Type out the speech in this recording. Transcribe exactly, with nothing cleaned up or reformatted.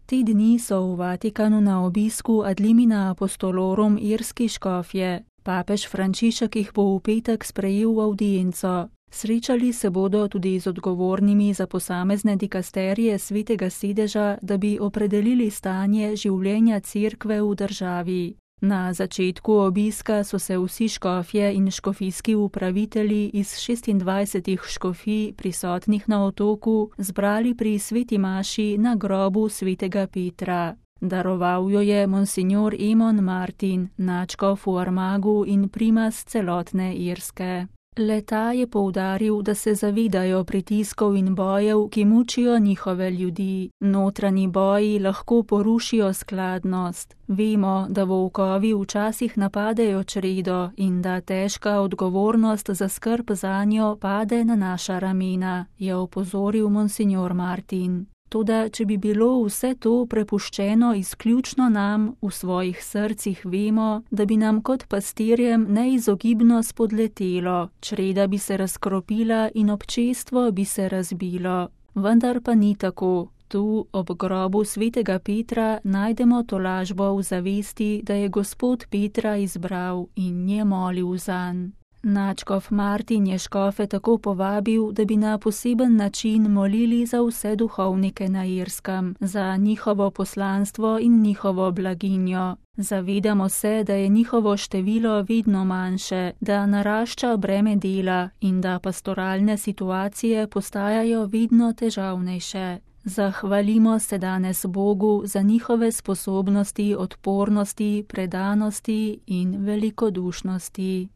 Te dni so v Vatikanu na obisku ad limina apostolorum irski škofje. Papež Frančišek jih bo v petek sprejel v avdienco. Srečali se bodo tudi z odgovornimi za posamezne dikasterije Svetega sedeža, da bi opredelili stanje življenja cerkve v državi. Na začetku obiska so se vsi škofje in škofijski upravitelji iz šestindvajsetih škofij prisotnih na otoku zbrali pri sveti maši na grobu svetega Petra. Daroval jo je monsignor Emon Martin, nadškof v Armagu in primas celotne Irske. Le-ta je poudaril, da se zavedajo pritiskov in bojev, ki mučijo njihove ljudi. Notranji boji lahko porušijo skladnost. Vemo, da volkovi včasih napadejo čredo in da težka odgovornost za skrb zanjo pade na naša ramena, je opozoril monsignor Martin. Toda, če bi bilo vse to prepuščeno izključno nam, v svojih srcih vemo, da bi nam kot pastirjem neizogibno spodletelo, čreda bi se razkropila in občestvo bi se razbilo. Vendar pa ni tako. Tu, ob grobu svetega Petra, najdemo tolažbo v zavesti, da je Gospod Petra izbral in je molil zanj. Nadškof Martin je škofe tako povabil, da bi na poseben način molili za vse duhovnike na Irskem, za njihovo poslanstvo in njihovo blaginjo. Zavedamo se, da je njihovo število vedno manjše, da narašča breme dela in da pastoralne situacije postajajo vedno težavnejše. Zahvalimo se danes Bogu za njihove sposobnosti, odpornosti, predanosti in velikodušnosti.